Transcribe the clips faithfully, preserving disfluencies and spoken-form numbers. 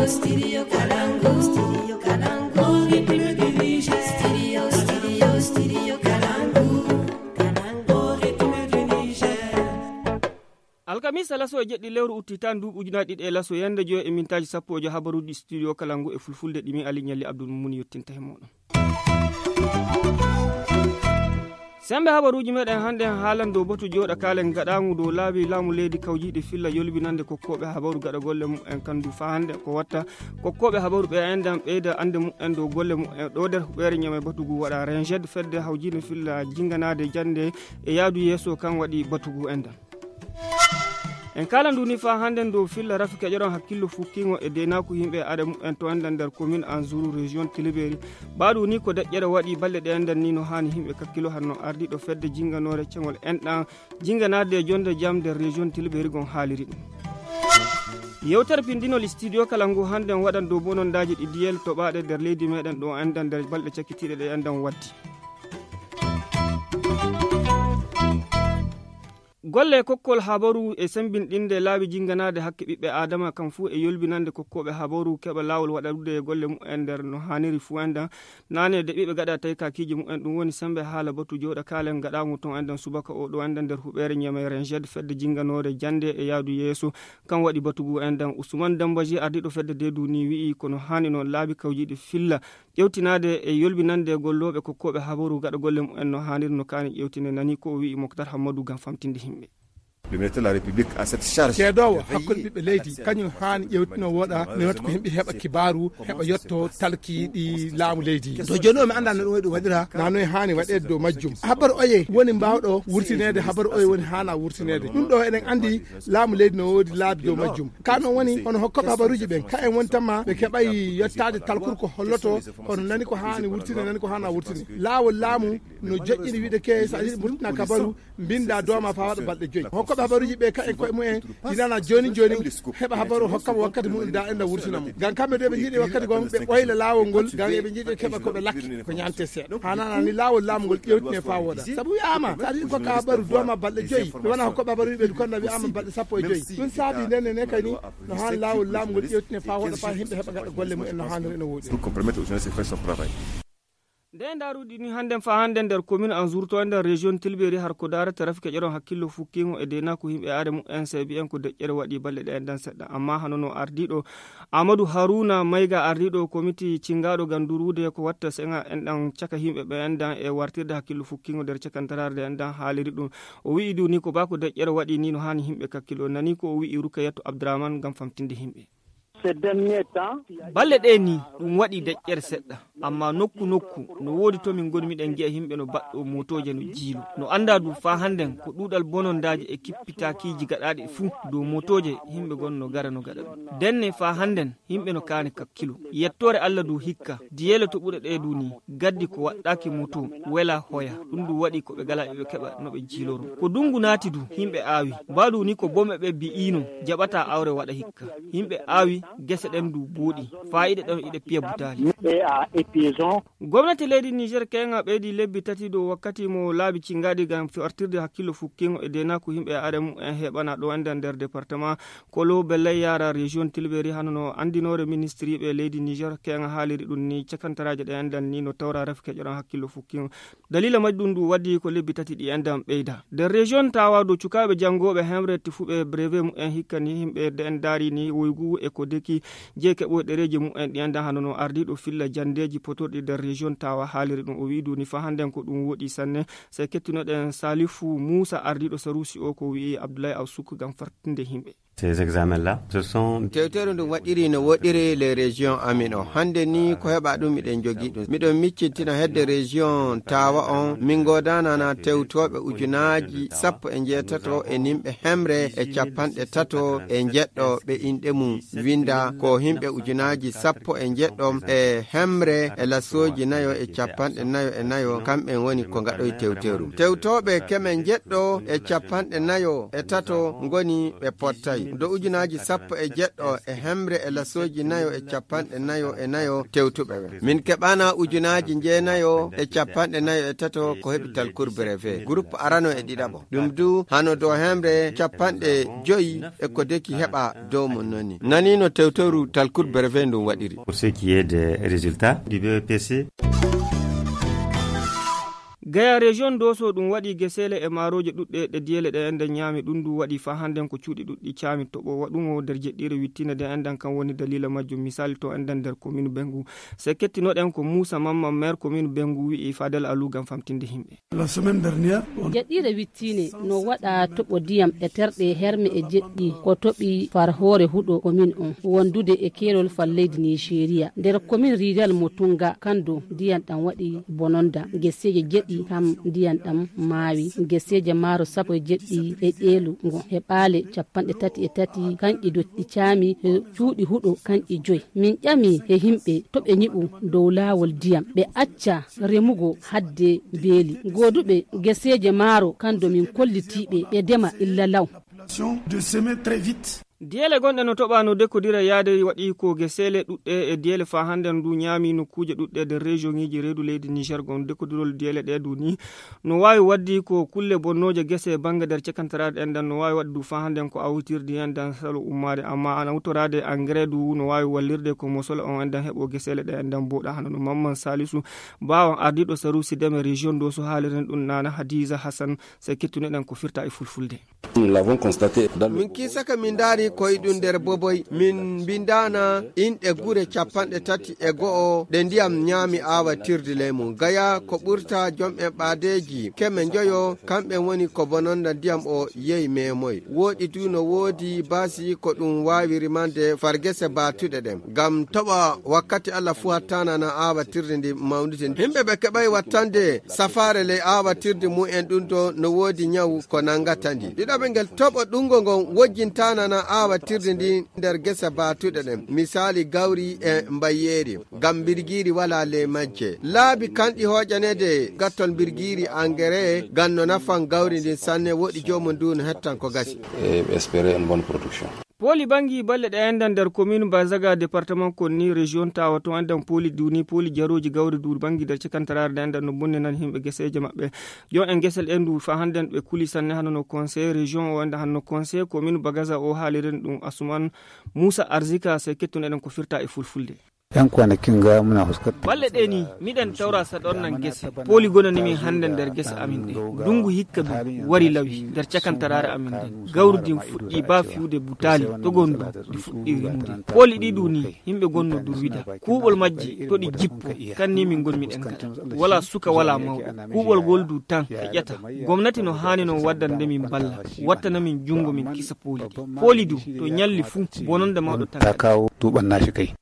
Studio Kalangu, Studio Kalangu, Republique du Niger. Studio, Studio, Studio Kalangu, Kalangu, Republique du Niger. Alkamisa laso e jeɗɗi lewru utti tan duuɓi ujunaaji ɗiɗi e laso yande joyo e mintaaji sappo e joyo habaruuji studio Kalangu e fulfulde ɗi min Ali Ñalli Abdul Mumuni yottinta he mooɗon. Semmbe habaruuji meɗen hannde en haalan dow batu jooɗa kaalen gaɗaamu dow laabi laamu leydi kawjiiɗi filla yolbinande kokkooɓe habaru gaɗa golle mumen kandu faa hannde ko watta kokkooɓe habaru ɓe enɗan ɓeyda annde mumen dow golle mumen ɗo nder huɓeere ñame batugu waɗa renjed fedde hawjiinde filla jinnganaade jannde e yaadu yeeso kan waɗi batugu enɗan. En kala ndu ni faa hannden dow filla rafi keƴoron hakkillo fukkiingo e deynaaku yimɓe aada mumen to enɗan nder komin anzuru région tiliberi. Ɓaɗu ni ko deƴƴere waɗi balɗe ɗe enɗan ni no haani yimɓe kakkilo hanno ardiiɗo fedde jinnganoore ceŋol enɗan jinnganaade e jonnde jam nder région tiliberi gon haaliri ɗum. Yewtere pindinol studio kala ngu hannden waɗan dow bonondaaji ɗi diyel toɓaaɗe nder leydi meɗen ɗo enɗan nder balɗe cakkitiiɗe ɗe enɗan waddi. Golle kokkol habaru e sembinɗinde laabi jinnganaade hakke ɓiɓɓe aadama kam fuu e yolbinande kokkooɓe habaru keɓa laawol waɗarude e golle mumen nder no haaniri fuu enɗan. Naane de ɓiɓɓe gaɗa tawi kakiiji mumen ɗum woni sembe haala batu jooɗa kaalen gaɗaamu ton enɗan subaka o ɗo enɗan nder huɓeere ñamere jed fedde jinnganoore jannde e yaadu yeeso. Kan waɗi batugu enɗan Usman Dambaji ardiiɗo fedde deedu ni wi'i kono haani noon laabi kawjiiɗi filla ƴewtinaade e yolbinande gollooɓe kokkooɓe habaru gaɗa golle mumen no haaniri no kaani ƴewtine nani ko o wi'i Moktar Hammadu ngam famtinde yimɓe. Le ministre de la République a cette charge. Ceedoowo hakkunde ɓiɓɓe leydi kañum haani ƴewtino woɗa newata ko yimɓe heɓa kibaaru heɓa yetto talkiiɗi laamu leydi. To jooni o mi annda no ɗum waɗi ɗum waɗira na noye haani waɗeede dow majjum habaru oye woni mbaawɗo wurtineede habaru oye woni haana wurtineede ɗum ɗo eɗen anndi laamu leydi no woodi laabi dow majjum. Ka noon woni hono hokkooɓe habaruuji ɓen ka en woni tan ma ɓe keɓay yettaade talkuru ko holloto kono nani ko haani wurtine nani ko haana wurtine laawol laamu no joƴƴini wiide ke so a yiɗi murtina kabaru mbinda dooma faa waɗa balɗe joyi hokkooɓe habaruuji ɓe ka en koye mumen tinana jooni jooni heɓa habaru hokkama wakkati mumen da enda wurtina mo ngam kamɓe de ɓe njiɗi wakkati gon ɓe ɓoyla laawol ngol ngam eɓe njiɗi keɓa koɓe lakke ko ñante seeɗa hanana ni laawol laamu ngol ƴewtine faa wooda sabu wi'ama so aɗa yiɗi kokka habaru dooma balɗe joyi ɓe wona hokkooɓe habaruuji ɓe du konda wi'ama balɗe sappo e joyi ɗum saabi nene ne kay ni no haan laawol laamu ngol ƴewtine faa wooda faa yimɓe heɓa gaɗa golle mumen no haaniri ene woodi. Nde ndaaruɗi ni hannden faa hannden nder komin an zurto nder région tilberi har ko daarata rafi keƴoron hakkillo fukkiingo e deenaaku yimɓe aada mumen seebi en ko deƴƴere waɗi balɗe ɗe enɗan seɗɗa amma hano no ardiiɗo amadou haruna mayga ardiiɗo komiti cinngaaɗo ngam duruude ko watta seŋa enɗan caka yimɓe ɓe enɗan e wartirde hakkillo fukkiingo nder cakantaraare nde enɗan haaliri ɗum. O wi'i du ni ko baa ko deƴƴere waɗi ni no haani yimɓe kakkilo nani ko o wi'i rukayatu abdraman ngam famtinde yimɓe. Balɗe ɗe ni ɗum waɗi deƴƴere seɗɗa amma nokku nokku no woodi to min ngoni miɗen ngi'a yimɓe no baɗɗo motooje no jiilo no annda du faa hannden ko ɗuuɗal bonondaaji e kippitaakiiji gaɗaaɗi fuu dow motooje yimɓe gon no gara no gaɗa ɗum denne faa hannden yimɓe no kaani kakkilo yettoore allah du hikka diyeele to ɓure ɗe du ni gaddi ko waɗɗaaki moto wela hoya ɗum du waɗi ko ɓe gala ɓe keɓa no ɓe jiiloro ko dungu naati du yimɓe aawi mbaɗu ni ko bome ɓe bi'ino jaɓata awre waɗa hikka yimɓe aawi gese ɗen du buuɗi faayiɗe ɗon iɗe piya butaali. Gomnati leydi niger keŋa ɓeydi lebbi tati dow wakkati mo laabi cingaɗi ngam artirde hakkillo fukkingo e denaku yimɓe aada mumen heɓana ɗo enda nder département kolo bellay yara région tilberi hano no andinore ministriɓe leydi niger keŋa haaliri ɗum ni cakantaraje ɗe endan ni no tawra ref keƴoran hakkillo fukkingo. Dalila majji ɗum ndu waddi ko lebbi tati ɗi enɗan ɓeyda nder région tawa dow cukaaɓe janngooɓe hemre tefuɓe brevet mumen hikka ni yimɓe de en daari ni woygu e ko deki jeyi keɓoy ɗereeji mumen ɗi enɗan hano no ardiiɗo filla janndeeji potorɗi nder région tawa haaliri ɗum o wi'i duni fa hannden ko ɗum woɗi sanne. Sey kettunoɗen salifu muusa ardiiɗo saruusi o ko wi'i abdoulaye aw sukku ngam fartinde yimɓe. Ces examens là ce sont tewtere ndum waɗiri no woɗiri les régions amin o hannde ni ko heɓa ɗum miɗen jogii ɗum miɗon miccintina hedde région tawa on min ngodanana tewtoɓe ujunaaji sappo e njeetato e nimɓe hemre e capanɗe tato e njeɗɗo ɓe inɗe mum winda ko himɓe ujunaaji sappo e njeɗɗo e hemre e lasooji nayo e capanɗe nayo e nayo kamɓen woni ko ngaɗoy tewteru tewtoɓe keme njeɗɗo e capanɗe nayo e tato ngoni ɓe pottay. Do ujunaaji sappo e jeɗɗo e hemre e lasooji nayo e capanɗe nayo e nayo tewtuɓe ɓe. Min keɓana ujunaaji jeenayo e capanɗe nayo e tato ko heɓi talkur brevet. Groupe arano e ɗiɗaɓo. Ɗum du hano do hemre capanɗe joyi e ko deki heɓa dow mon noni. Nanino tewtoru talkur brevet ndun waɗiri. Pour ce qui est des résultats du B E P C. Gaya région Doso ɗum waɗi geseele e maarooje ɗuɗɗe ɗe diyele ɗe enden ñaami. Ɗum ndu waɗi faa hannden ko cuuɗi ɗuɗɗi caami toɓo waɗuŋo nder jeɗɗiire wittiinde nde enden kan woni daliila majjum. Misali to enden nder commune Bengu. Se kettinoɗen ko Muusa Mamman, maire commune Bengu, wi'i Fadel Alu ngam famtinde himɓe. La semaine dernière, on- Jeɗɗiire wittiinde no waɗa toɓo ndiyam e terɗe herme e jeɗɗi ko toɓi far hoore huɗo commune on wondude e keerol far leydi Nigeria. Nder commune rural mo Tunga Kando ndiyam ɗam waɗi bononda. Geseeje jeɗɗi kam ndiyam ɗam maawi. Geseeje maaro sappo e jeɗɗi e ƴeelu ngo heɓaali capanɗe tati e tati kanƴi dotti caami e cuuɗi huɗo kanƴi joyi. Min ƴami e himɓe to ɓe ñiɓu dow laawol ndiyam, ɓe acca remugo hadde beeli. Gooduɓe geseeje maaro kando min kollitiiɓe ɓe dema illa law. De semer très vite. Diyele gonɗe no toɓa no dekodira yaade waɗi ko geseele ɗuɗɗe e diyele faa hannden ndu ñaami nokkuuje ɗuɗɗe nder région ŋiiji reedu leydi Niger. Gon dekodirol diyele ɗe du ni no waawi waddi ko kulle bonnooje gese bannge nder cakantaraade enɗan no waawi waɗde du faa hannden ko awtirdi enɗan salo ummaade, amma ana hutoraade engrais du no waawi wallirde ko mosol on enɗan heɓo geseele ɗe enɗan booɗa. Hano no Mamman Salisu Bawan ardiiɗo saruusi deme région Doso haaliren ɗum Nana Hadiza Hassan. Se kettuneɗen ko firta e fulfulde. Min kiisaka min ndaari koye ɗum nder boboy, min mbindaana inɗe gure capanɗe tati e go'o ɗe ndiyam ñaami aawatirde ley mum. Gaya ko ɓurta jom'en ɓaadeeji keme njoyo, kamɓe woni ko bononda ndiyam o yehi meemoy. Wooɗi du no woodi baasi ko ɗum waawi rimande far gese baatuɗe ɗen. Ngam toɓa wakkati Allah fuu hattaana na aawatirde ndi mawnude. Himɓe ɓe keɓay wattande safaare ley aawatirde mum en ɗum ɗo no woodi ñawu ko nangata ndi. Ɗiɗaɓe ngel toɓo ɗungo ngon wojjintaana na aawatirde ndi nder gese baatuɗe ɗen. Misaali gawri e mbayyeeri. Ngam mbirgiiri walaa ley majje. Laabi kanɗi hooƴaneede gattol mbirgiiri engrais ngam no nafan gawri ndin sanne woɗi joomum ndu no hettan ko gasi. Et espérer une bonne production. Pooli banngi balle ɗe enɗan nder commune Bazaga département Konni région Tawa to enɗan pooli duni pooli jarooji gawri du banngi nder cakantaraare ɗe enɗan no bonninan himɓe geseeje maɓɓe. Yo en gesel endu fa hannden ɓe kuli sanne hano no conseil région o enɗan hano no conseil commune Bagaza o haaliren ɗum Asuman Musa Arzika se kettun eɗen ko firta e fulfulde. Yan kwanakin ga muna fuskantar Balle ɗe ni miɗen tawra saɗon nan gese pooli gonani min hannde nder gese amin ɗe. Ndungu hikka du wari lawi nder cakantaraare amin nden. Gawri din fuɗɗi ba fiyude butaali togon du ndi fuɗɗi rimude. Pooli ɗi du ni yimɓe gonno durwida kuuɓol majji to ɗi jippo. Kan ni min gonmi ɗen gada wala suka wala mawɗo kuuɓol gol du tan feƴƴata. Gomnati no haani non waddande min balla wattana min junngo min kisa pooli ɗi. Pooli du to ñalli fuu bononde mawɗo tan. Takawo tuɓan nashi kai.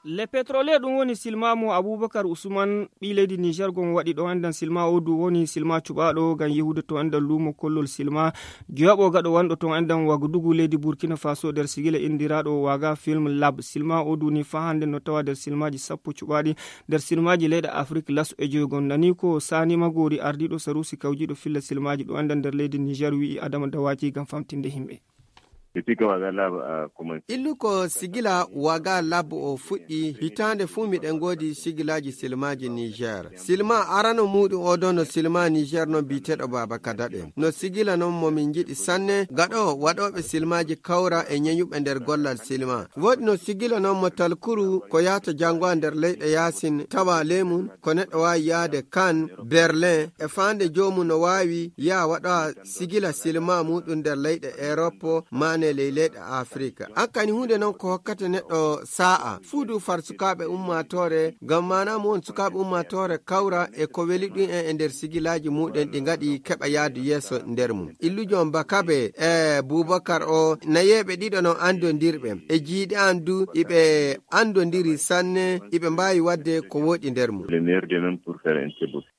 Le pétrolier ɗum woni silma mo Abubakar Usman ɓii leydi Niger gon waɗi ɗo enɗan silma o du woni silma cuɓaɗo ngam yehude to enɗan lumo kollol silma joyaɓo gaɗo wanɗo to enɗan Wagadugu leydi Burkina Faso nder sigila indiraɗo Waga Film Lab. Silma o du ni fa hannde no tawa nder silmaji sappo cuɓaɗi nder silmaji leyɗe Afrik laso e joygon. Nani ko Sani Magori ardiɗo sarusi kawjiɗo filla silmaji ɗo enɗan nder leydi Niger wi'i Adama Dawaji ngam famtinde himɓe. Illu ko sigila Waga Lab o fuɗɗi, hitaande fuu miɗen ngoodi sigilaaji silmaaji Niger. Silma arano muuɗum o ɗoo no silma Niger non biyeteeɗo Baaba Kadaɓe. No sigila non mo min njiɗi sanne, gaɗo waɗooɓe silmaaji kawra e ñeñuɓe nder gollal silma. Woodi no sigila non mo talkuru ko yahata janngoya nder leyɗe yaasin tawa ley mum, ko neɗɗo waawi yahde Cannes, Berlin, e faande joomum no waawi yaha waɗoya sigila silma muuɗum nder leyɗe Erop, maane ley leyɗe Afrik. An kani huunde non ko hokkata neɗɗo saa'a. Fuu du far sukaaɓe ummaatoore, ngam maana mum won sukaaɓe ummaatoore kawra e ko weli ɗum en e nder sigilaaji muuɗum ɗi ngaɗi keɓa yahdu yeeso nder mum. Illujo Bakabe e Bubakar o, nayeeɓe ɗiɗo non anndondirɓe. E jiiɗe an du, iɓe anndondiri sanne, iɓe mbaawi waɗde ko wooɗi nder mum. Le meilleur de même pour faire un très beau film.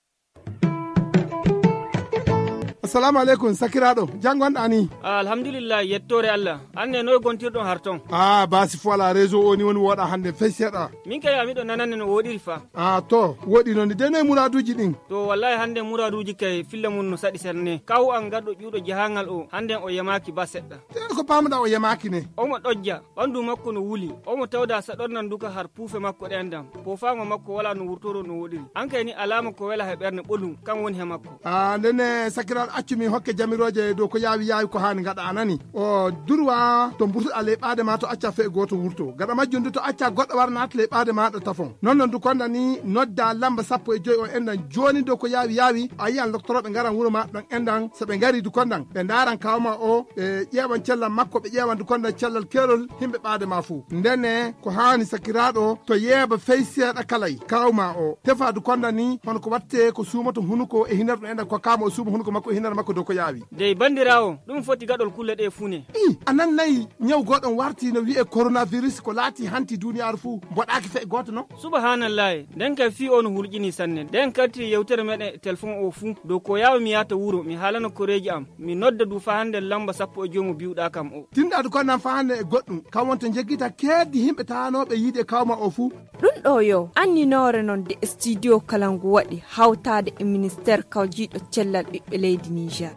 Assalamu aleykum, sakiraaɗo. Jam ngonɗaa ni? Ah, alhamdulillah, yettoore Allah. An ne, noy gontirɗon har ton? Ah, baasi fo alaa, réseau o ni woni wooɗaa hannde fey seeɗa. Min kay, a miɗo nanande no wooɗiri fa. Ah, to, wooɗi noon ni. De noy muraaduuji ɗin? To, wallahi hannde muraaduuji kay filla mun no saɗi sanne. Kaw an garɗo ƴuuɗo jahangal o, hannde o yamaaki ba seɗɗa. Te ko paamuɗaa o yamaaki ne? Omo ɗojja, ɓandu makko no wuli. Omo tawda saɗornan duka har puufe makko ɗen ɗan. Poofaango makko walaa no wurtoro no wooɗiri. An kay ni alaama ko wela he ɓernde ɓolum, kan woni he makko. Ah, ndenne sakiraaɗo, accu mi hokke jamirooje dow ko yaawi yaawi ko haani ngaɗa, a nani? O durwa to mburtuɗaa ley ɓaade ma to acca fee gooto wurto. Gaɗa majjum du to acca goɗɗo wara naata ley ɓaade maaɗa tafon. Non non du konda ni nodda lamba sappo e joy o enɗan jooni dow ko yaawi yaawi. A yiyan loktorooɓe ngaran wuro ma ɗon enɗan. So ɓe ngari du kondan, ɓe ndaaran kaaw ma o, ɓe ƴeewan cellal makko, ɓe ƴeewan du kondan cellal keerol himɓe ɓaade ma fuu. Ndenne ko haani sakiraaɗo to yeeba fey seeɗa kalay. Kaaw ma o tefa du kondan ni hono ko watte ko suumoto hunuko e hinar ɗum enɗan ko kaama o suuma hunuko makko e hinar makko dow ko yaawi. Dey bandiraawo, ɗum foti gaɗol kulle ɗe fuu ne. I, a nan nayi ñaw goɗon warti no wi'e coronavirus ko laati hanti duniyaaru fuu, mboɗaaki fey gooto non? Subahanallahi, nden kay fii o no hulƴini sanne. Nden karti yewtere meɗen e telefon o fuu, dow ko yaawi mi yaata wuro, mi haalana koreeji am, mi nodda du faa hannde lamba sappo e joy mo biwɗaa kam o. Tinɗaadu ko nan faa hannde e goɗɗum, kam wonto njeggita keeddi himɓe taanooɓe yiide e kawma o fuu. Ɗum ɗo yo anninoore non de studio kala ngu waɗi hawtaade e ministeer kawjiiɗo cellal ɓiɓɓe leydi Niger.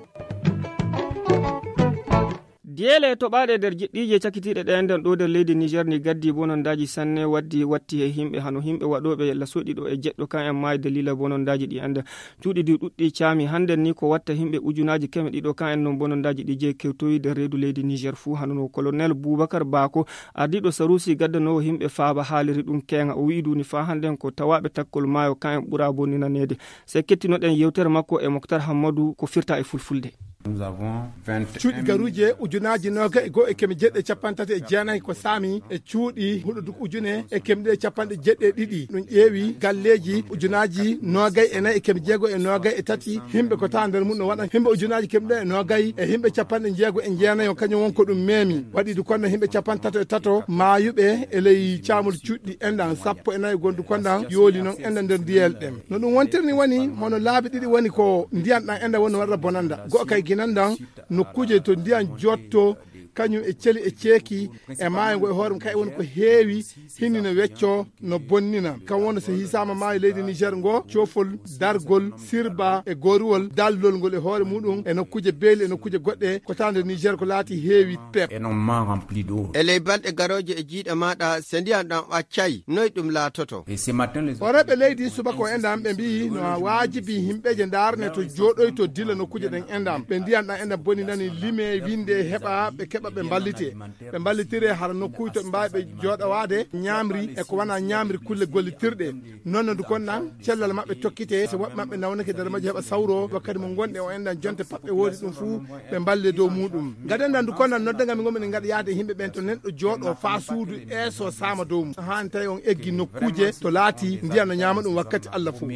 Diyeele toɓaaɗe nder jiɗɗiije cakitiiɗe ɗe enɗan ɗo nder leydi Niger ni gaddi bonondaaji sanne waddi watti e himɓe hano himɓe waɗooɓe lasoɗi ɗo e jeɗɗo kan en maayi dalila bonondaaji ɗi enɗan. Cuuɗi ɗi ɗuɗɗi caami hannden ni ko watta himɓe ujunaaji keme ɗiɗo kan en non bonondaaji ɗi jeyi kewtoyi nder reedu leydi Niger fuu hano no colonel Boubacar Bako ardiiɗo saruusi gaddanoowo himɓe faaba haaliri ɗum keeŋa o wi'i duni faa hannden ko tawaaɓe takkol maayo kan en ɓura bonninaneede. Sey kettinoɗen yewtere makko e Moktar Hammadu ko firta e fulfulde. Cuuɗi garuuje ujunaaji noogay e go'o e keme jeeɗiɗi e capanɗe tati e jeenayi ko saami e cuuɗi huɗo duk ujune e keme ɗiɗi e capanɗe jeeɗiɗi e ɗiɗi. Ɗum ƴeewi galleeji ujunaaji noogay e nayi e keme jeego e noogay e tati. Himɓe ko taa nder mum no waɗa himɓe ujunaaji keme ɗiɗi e noogay e himɓe capanɗe jeego e jeenayi o kañum won ko ɗum meemi. Waɗi du konno himɓe capanɗe tato e tato maayuɓe e ley caamol cuuɗi enɗan sappo e nayi gondu konɗan yooli non enɗan nder ndiyel ɗen. No ɗum wontirni woni hono laabi ɗiɗi woni ko ndiyan ɗan enɗan woni waɗata bonanda. Go'o kay ginan ɗan nokkuuje to ndiyan jotto kañum e celi e ceeki e maayo ngo e hoore mum kay woni ko heewi hinni no wecco no bonnina. Kan wonno so hisaama maayo leydi Niger ngo, coofol, dargol, sirba e gooruwol, dallol ngol e hoore muɗum e nokkuuje beeli e nokkuuje goɗɗe ko tawde Niger ko laati heewi pep. E ley balɗe garooje e jiiɗe maaɗa, so ndiyan ɗan accay, noy ɗum laatoto? Horeeɓe leydi subaka o enɗan ɓe mbiyi no waajibi himɓeeje ndaarne to jooɗoyto dilla nokkuuje ɗen enɗan. Ɓe ndiyan ɗan enɗan boni nani lime, winde, heɓa, ɓe keɓa, ɓe mballite. Ɓe mballitire hara nokkuuje to ɓe mbaawi ɓe jooɗowaade, ñaamri e ko wona ñaamri kulle gollitirɗe. Non no du kon nan, cellal maɓɓe tokkite, so woɓɓe maɓɓe nawnake nder majje heɓa sawro, wakkati mo ngonɗe o enɗan jonte pat ɓe woodi ɗum fuu, ɓe mballe dow muɗum. Gaden nan du kon nan nodda ngam ngon min ngaɗa yaade e yimɓe ɓen to neɗɗo jooɗo faa suudu eeso saama dow mum. Haani tawi on eggi nokkuuje to laati ndiyan no ñaama ɗum wakkati Allah fuu.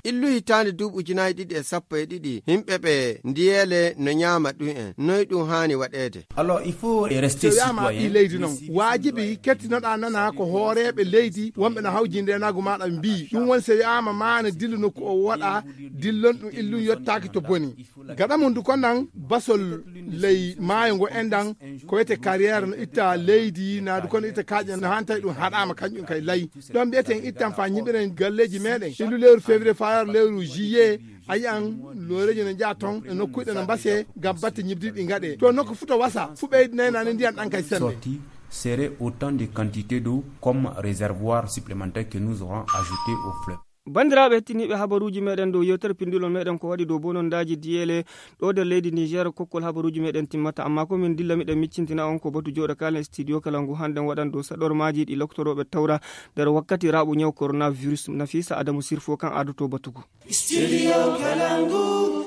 Illu hitaande duuɓi ujunaaji ɗiɗi e sappo e ɗiɗi, yimɓe ɓe ndiyeele no ñaama ɗum en. Noy ɗum haani waɗeede? So wiyaama ɓii leydi non, waajibi kettinoɗaa nana ko hooreeɓe leydi wonɓe no hawji ndeenaagu maaɗa mbii. Ɗum woni so wiyaama maana dillu nokku o woɗa, dillon ɗum illum yottaaki to boni. Gaɗa mum du kon nan basol ley maayo ngo enɗan ko wiyetee carrière no itta leydi, naa du kon no itta kaaƴe no haani tawi ɗum haɗaama kañum kay lay. Ɗon mbiyeten ittan faa ñiɓiren galleeji meeɗen. Illu lewru février faa yara lewru juillet, a yi'an looreeji no njaha ton e nokkuuji ɗe no mbasee ngam batte ñiɓdiiɗi ɗi ngaɗee. To nokku fuu to wasa, fuu ɓeydinay nani ndiyan ɗan kay semmbe. Serait autant de quantité d'eau comme réservoir supplémentaire que nous aurons ajouté au fleuve. Banndiraaɓe hettiniiɓe habaruuji meeɗen dow yewtere pinndulol meeɗen ko waɗi dow bonondaaji diyeele ɗo nder leydi Niger, kokkol habaruuji meeɗen timmata, ammaa ko min dilla miɗen miccintina on ko batu jooɗo kaalen studio kala ngu hannden waɗan dow saɗormaaji ɗi loktorooɓe tawra nder wakkati raaɓo ñaw coronavirus. Nafisa Adamu Sirfo kan adoto batu ngu. Studio Kalangu.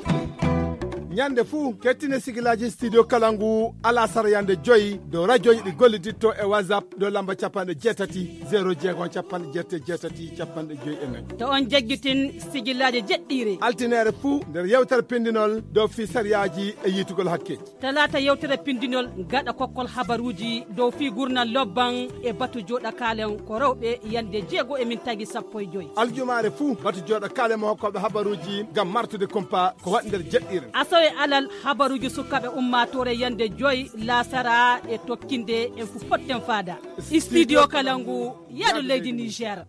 Ñande fuu, kettine sigilaaji Studio Kalangu alasara yande joyi dow rajooji ɗi golliditto e WhatsApp dow lamba capanɗe jeetati, zero jeego, capanɗe jeetati, jeetati, capanɗe joyi e nayi. To on jaggitin sigilaaji jeɗɗiire. Altineere fuu nder yewtere pindinol dow fii sariyaaji e yiitugol hakkeeji. Talaata yewtere pindinol gaɗa kokkol habaruuji dow fii gurnal lobban e batu jooɗa kaalen ko rewɓe yande jeego e min tagi sappo e joyi. Aljumaare fuu batu jooɗa kaalen mo hokkooɓe habaruuji ngam martude kumpa ko waɗi nder jeɗɗiire. Asawe alal habaruuji sukaaɓe ummaatoore yande joyi laasara e tokkinde en fu potten faada. Studio Kalangu, yaadu leydi Niger.